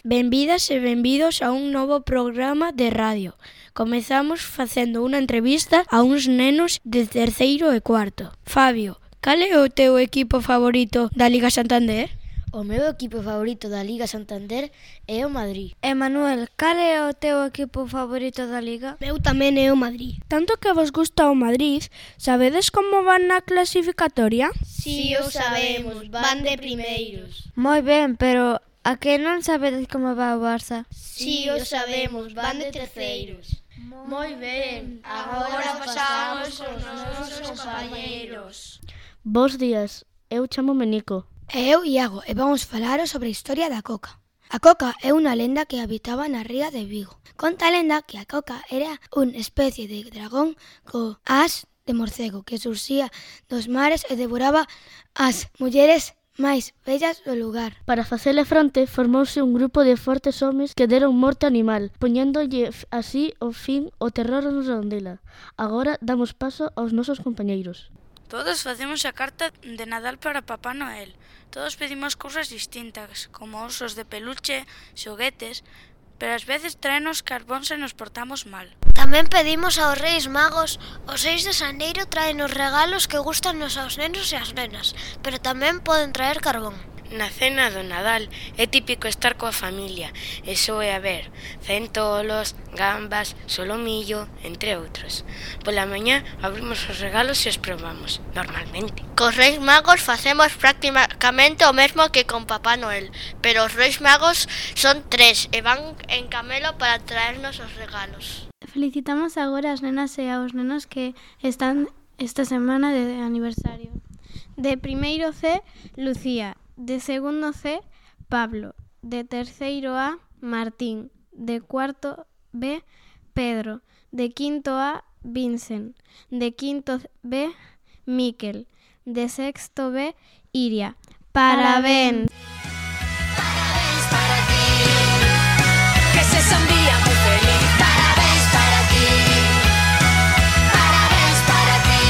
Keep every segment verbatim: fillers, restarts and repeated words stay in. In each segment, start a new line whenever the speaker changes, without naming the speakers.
Benvidas e benvidos a un novo programa de radio. Comezamos facendo unha entrevista a uns nenos de terceiro e cuarto. Fabio, cal é o teu equipo favorito da Liga Santander?
O meu equipo favorito da Liga Santander é o Madrid.
E Manuel, cal é o teu equipo favorito da Liga?
Meu tamén é o Madrid.
Tanto que vos gusta o Madrid, sabedes como van na clasificatoria?
Si, o sabemos, van de primeiros.
Moi ben, pero a que non sabedes como va o Barça?
Si, o sabemos, van de terceiros. Moi ben, agora pasamos aos nosos compañeiros.
Bos días, eu chamo-me Nico.
E eu, Iago, e vamos falar sobre a historia da coca. A coca é unha lenda que habitaba na ría de Vigo. Conta a lenda que a coca era unha especie de dragón co as de morcego que surxía dos mares e devoraba as mulleres máis bellas do lugar.
Para facele fronte, formouse un grupo de fortes homes que deron morte ao animal, poñéndolle así o fin o terror nos Redondela. Agora damos paso aos nosos compañeiros.
Todos facemos a carta de Nadal para Papá Noel. Todos pedimos cousas distintas, como osos de peluche, xoguetes, pero ás veces traenos carbón se nos portamos mal.
Tamén pedimos aos Reis Magos, os seis de xaneiro traen os regalos que gustan aos nenos e ás nenas, pero tamén poden traer carbón.
Na cena do Nadal é típico estar coa familia, e só é a ver centolos, gambas, solomillo, entre outros. Pola mañá abrimos os regalos e os probamos, normalmente.
Cos Reis Magos facemos prácticamente o mesmo que con Papá Noel, pero os Reis Magos son tres e van en camelo para traernos os regalos.
Felicitamos agora as nenas e aos nenos que están esta semana de aniversario. De primeiro C, Lucía. De segundo C, Pablo. De terceiro A, Martín. De cuarto B, Pedro. De quinto A, Vincent. De quinto B, Miquel. De sexto B, Iria. Parabéns.
Parabéns para ti. Que sexa un día moi feliz. Parabéns para ti. Parabéns para ti.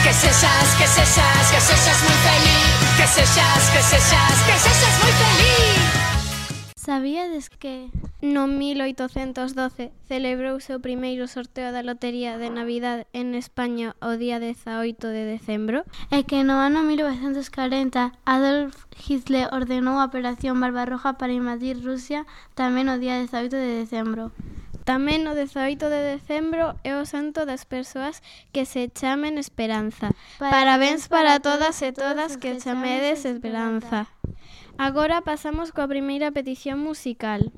Que sexas, que sexas, que sexas moi feliz. Que sexas, que sexas, que sexas moi feliz.
Sabíades que no mil oitocentos doce celebrouse o primeiro sorteo da lotería de Navidad en España o día dezaoito de decembro? E que no ano mil novecentos corenta Adolf Hitler ordenou a Operación Barbarroja para invadir Rusia tamén o día dezaoito de decembro. Tamén o dezaoito de decembro é o santo das persoas que se chamen Esperanza. Parabéns para todas e todas que chamedes Esperanza. Agora pasamos coa primeira petición musical.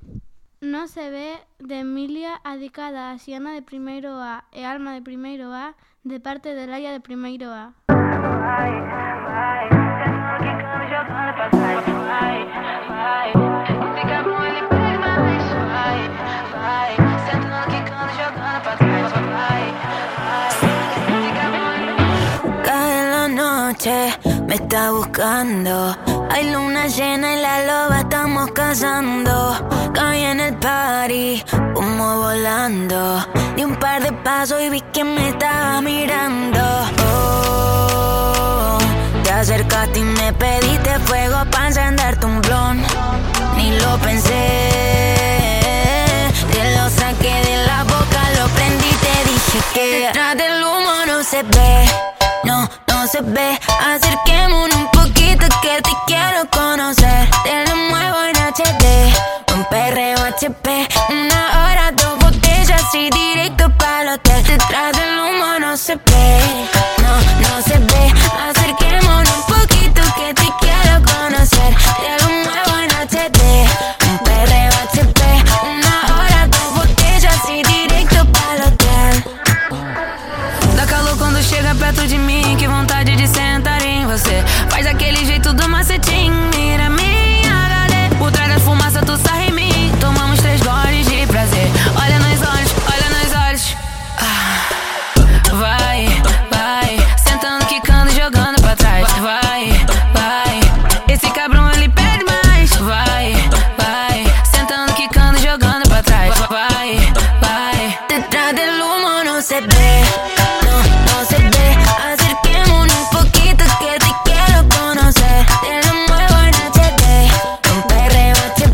Non se ve de Emilia adicada a Xiana de primeiro A e Alma de primeiro A de parte de Laia de primeiro A.
Me está buscando. Hay luna llena y la loba estamos cazando. Caí en el party, humo volando. Di un par de pasos y vi que me estaba mirando. Oh, te acercaste y me pediste fuego para encenderte un blon. Ni lo pensé, te lo saqué de la boca, lo prendí, te dije que detrás del humo no se ve. No, no se ve. Acerquémonos un poquito que te quiero conocer. Te lo muevo en H D, un perreo H P. Una hora, dos botellas y directo para el hotel. Detrás del humo no se ve. No, no se ve. Acerquémonos un poquito que te quiero conocer. Te lo muevo en H D, un perreo H P. Una hora, dos botellas y directo para el hotel. Dá calor quando chega perto de mim, que vontade de sentar em você. Faz aquele jeito do macetinho, mira minha H D. Por trás da fumaça tu sarra em mim, tomamos três goles de prazer. Olha nos olhos, olha nos olhos. Ah. Vai, vai, sentando, quicando, jogando pra trás. Vai, vai, esse cabrão ele pede mais. Vai, vai, sentando, quicando, jogando pra trás. Vai, vai, detrás del humo no se ve. No se ve, acerquémonos un poquito que te quiero conocer. Te lo muevo en H D, un perreo H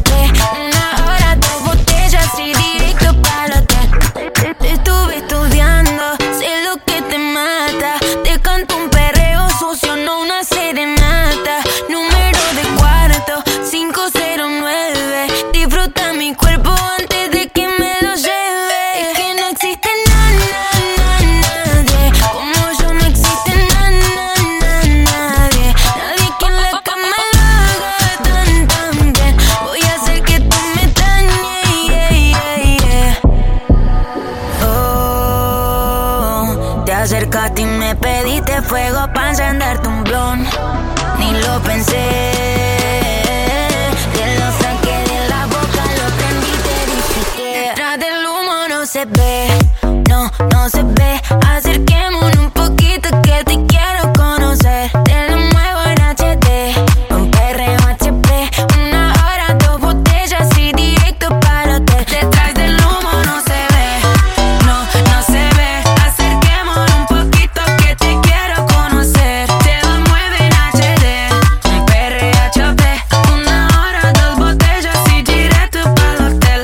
fuego pa' encenderte un blon. Ni lo pensé, te lo saqué de la boca, lo prendí y te dije que detrás del humo no se ve, no, no se ve. Acerquémonos un poquito que te quiero conocer. Te lo muevo en H D, un perreo H P, una hora, dos botellas y directo para el hotel. Detrás del humo no se ve, no, no se ve. Acerquémonos un poquito que te quiero conocer. Te lo muevo en H D, un perreo H P, una hora, dos botellas y directo para el hotel.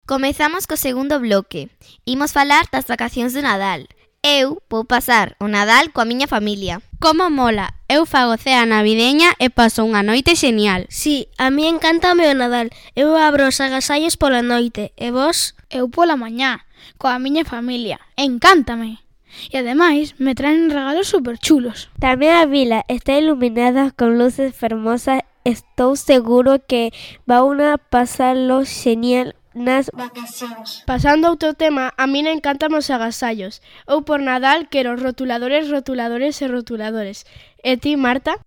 Comezamos co segundo bloque. Imos falar das vacacións de Nadal. Eu vou pasar o Nadal coa miña familia.
Como mola, eu fago cea navideña e paso unha noite xenial.
Si, a mí encántame o Nadal. Eu abro os agasallos pola noite. E vos?
Eu pola mañá, coa miña familia. Encántame. E ademais me traen regalos super chulos.
Tamén a vila está iluminada con luces fermosas. Estou seguro que van a pasarlo genial nas vacacións.
Pasando a outro tema, a mí encantan os agasallos. Eu por Nadal quero rotuladores, rotuladores e rotuladores. E ti, Marta?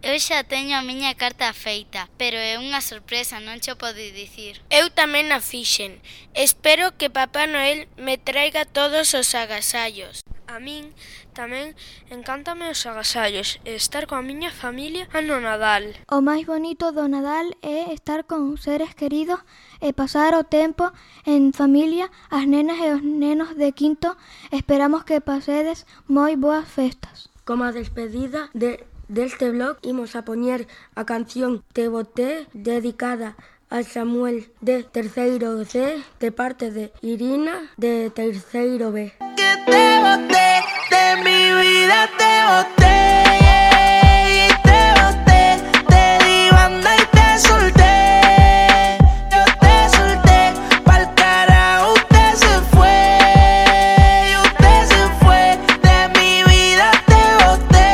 Eu xa teño a miña carta feita, pero é unha sorpresa, non cho podo dicir.
Eu tamén a fixen. Espero que Papá Noel me traiga todos os agasallos.
A min tamén encántame os agasallos e estar coa miña familia no Nadal.
O máis bonito do Nadal é estar con seres queridos e pasar o tempo en familia. As nenas e os nenos de quinto esperamos que pasedes moi boas festas.
Como a despedida de, deste blog, imos a poñer a canción Te Boté, dedicada a Samuel de terceiro C, de parte de Irina de terceiro B.
Que te boté, de mi vida te boté, y te boté, te di banda y te solté, yo te solté, pa'l carajo usted se fue, y usted se fue, de mi vida te boté,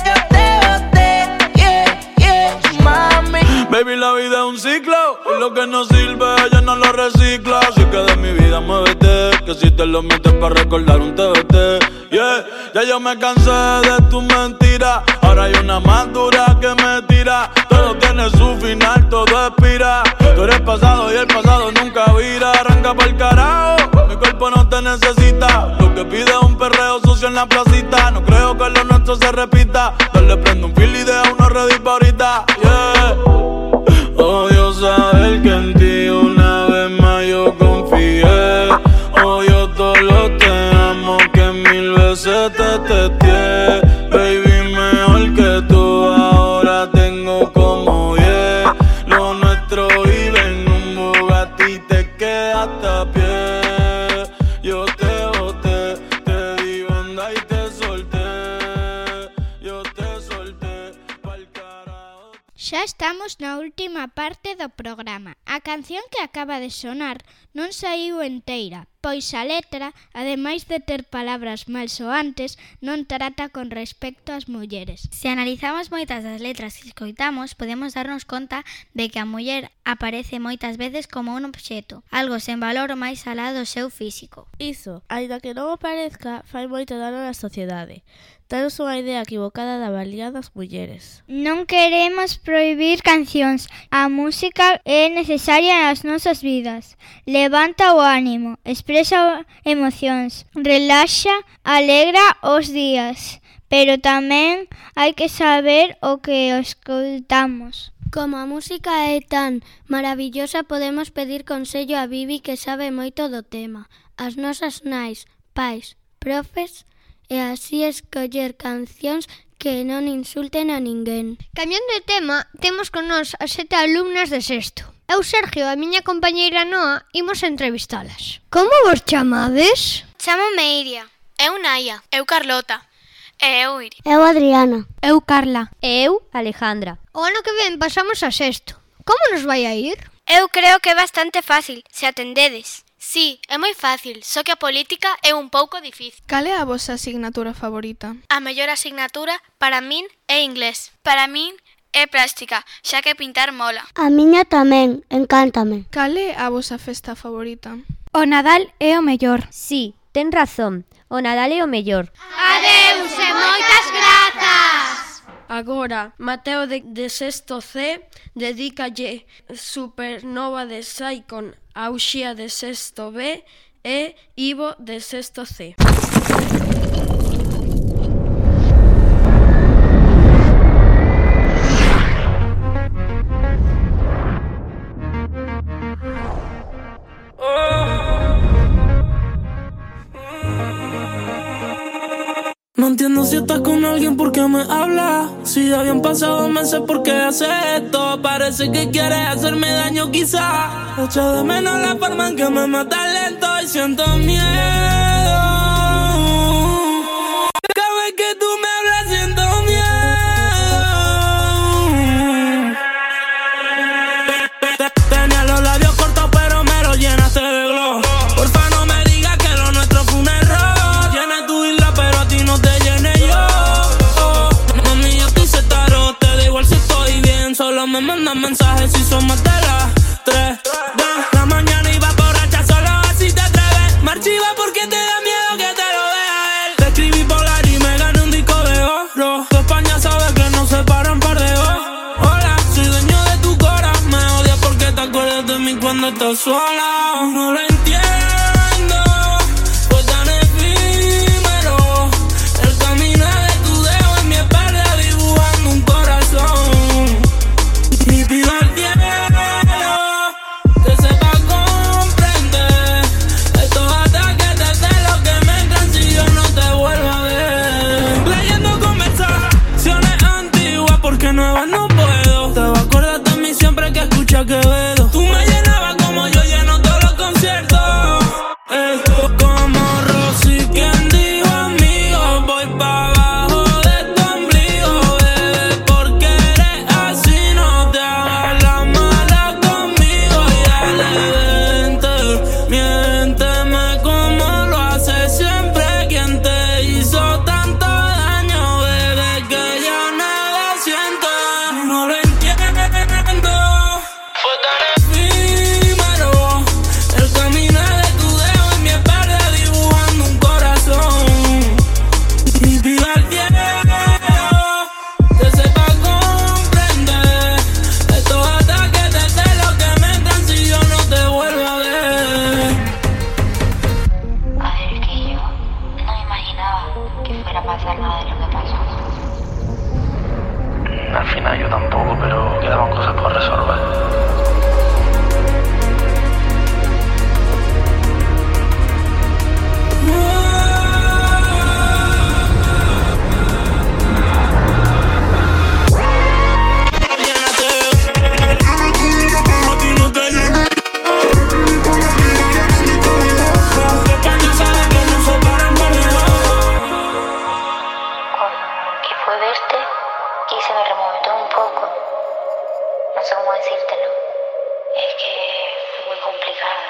yo te boté, yeah, yeah, mami.
Baby, la vida es un ciclo, y lo que no sirve ella no lo recicla, así que de mi vida muévete, que si te lo metes para recordar un T B T, yeah. Ya yo me cansé de tu mentira, ahora hay una más dura que me tira. Todo tiene su final, todo expira. Tú eres pasado y el pasado nunca vira. Arranca pa'l carajo, mi cuerpo no te necesita. Lo que pide es un perreo sucio en la placita. No creo que lo nuestro se repita. Dale, prende un fil y deja uno ready pa' ahorita, yeah. Odio saber que en ti una vez más yo confié. Odio todo lo te amo que mil veces te testé. Baby, mejor que tú ahora tengo como diez. Lo nuestro vive en un Bugatti, te quedaste a pie. Yo te boté, te di banda y te solté. Yo te solté pa'l carajo.
Xa estamos na última parte do programa. A canción que acaba de sonar non saiu enteira, pois a letra, ademais de ter palabras malsoantes, non trata con respecto ás mulleres.
Se analizamos moitas das letras que escoitamos, podemos darnos conta de que a muller aparece moitas veces como un obxeto, algo sen valor máis alá do seu físico.
Iso, aínda que non o parezca, fai moito dano na sociedade. Temos unha idea equivocada da valía das mulleres.
Non queremos prohibir cancións. A música é necesaria nas nosas vidas. Levanta o ánimo, expresa emocións, relaxa, alegra os días, pero tamén hai que saber o que escoitamos.
Como a música é tan maravillosa, podemos pedir consello a Bibi, que sabe moito do tema, as nosas nais, pais, profes, e así escoller cancións que non insulten a ninguén.
Cambiando de tema, temos con nós as sete alumnas de sexto. Eu, Sergio, e a miña compañeira Noa, imos entrevistalas.
Como vos chamades?
Chámome Iria. Eu Naia. Eu Carlota. E eu Iri.
Eu Adriana.
Eu Carla.
E eu Alejandra.
O ano que ven pasamos a sexto. Como nos vai a ir?
Eu creo que é bastante fácil, se atendedes.
Sí, é moi fácil, só que a política é un pouco difícil.
Cal é a vosa asignatura favorita?
A mellor asignatura para min é inglés.
Para min é plástica, xa que pintar mola.
A miña tamén, encántame.
Cal é a vosa festa favorita?
O Nadal é o mellor.
Sí, ten razón, o Nadal é o mellor.
Adeus e moitas grazas!
Agora, Mateo de, de sexto C dedícalle Supernova de Saicon a Uxía de sexto B e Ivo de sexto C.
No entiendo si estás con alguien, ¿por qué me hablas? Si ya habían pasado meses, ¿por qué haces esto? Parece que quieres hacerme daño quizá. Echo de menos la forma en que me matas lento y siento miedo. Cada vez que tú me hablas siento miedo. Tenía los labios cortos pero me los llenaste de glow. Porfa no me digas que lo nuestro fue un error. Llena tu isla pero a ti no te llené yo. Oh, mami, yo estoy setaro, te da igual si estoy bien. Solo me mandan mensajes si son más de las tres de la mañana y va borracha, solo así te atreves. Me archiva porque te da miedo que te lo vea él. Te escribí polar y me gané un disco de oro. Tu España sabe que no se paran par de ojos. Hola, soy dueño de tu cora. Me odias porque te acuerdas de mí cuando estás sola. No lo entiendo, fue tan efímero. El camino de tu dedo en mi espalda dibujando un corazón. Y pido al cielo que sepa comprender estos ataques de celos que me entran si yo no te vuelvo a ver. Leyendo conversaciones antiguas porque nuevas no puedo. Te vas a acordar de mí siempre que escucha Quevedo. Tú me llenabas como yo lleno todos los conciertos. Eh, como Rosy, quien dijo amigo, voy pa' abajo de tu ombligo, bebé, porque eres así, no te hagas la mala conmigo. Y dale, vente, miénteme como lo haces siempre. Quien te hizo tanto daño, bebé, que ya nada siento. No lo entiendo, fue tan efímero. El caminar de tu dedo en mi espalda dibujando un corazón. Y pido al cielo que sepa comprender estos ataques de celos que me entran si yo no te vuelvo a ver.
A ver, es que yo no me imaginaba que fuera a pasar nada de lo que pasó.
Al final yo tampoco, pero quedaban cosas por resolver.
Que fue verte y se me removió un poco. No sé cómo decírtelo. Es que fue muy complicada.